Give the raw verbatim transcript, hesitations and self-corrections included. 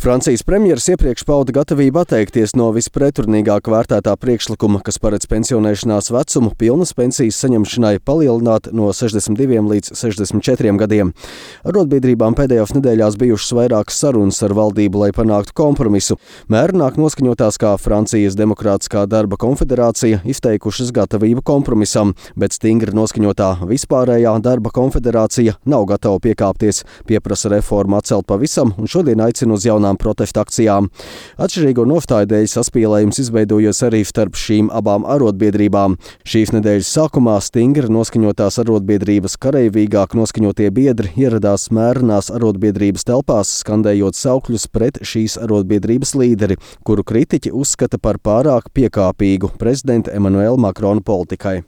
Francijas premjeras iepriekš pauda gatavību atteikties no vispretrunīgāk vērtētā priekšlikuma, kas paredz pensionēšanās vecumu pilnas pensijas saņemšanai palielināt no sešdesmit diviem līdz sešdesmit četriem gadiem. Arotbiedrībām pēdējās nedēļās bijušas vairākas sarunas ar valdību, lai panāktu kompromisu. Mērenāk noskaņotās kā Francijas Demokrātiskā darba konfederācija izteikušas gatavību kompromisam, bet stingri noskaņotā Vispārējā darba konfederācija nav gatava piekāpties, pieprasa reformu atcelt pavisam un šodien aicina uz jaunu protestu akcijām. Atšķirīgo nostāju dēļ saspīlējums izveidojies arī starp šīm abām arotbiedrībām. Šīs nedēļas sākumā stingri noskaņotās arotbiedrības kareivīgāk noskaņotie biedri ieradās mērenās arotbiedrības telpās, skandējot saukļus pret šīs arotbiedrības līderi, kuru kritiķi uzskata par pārāk piekāpīgu prezidenta Emmanuela Macrona politikai.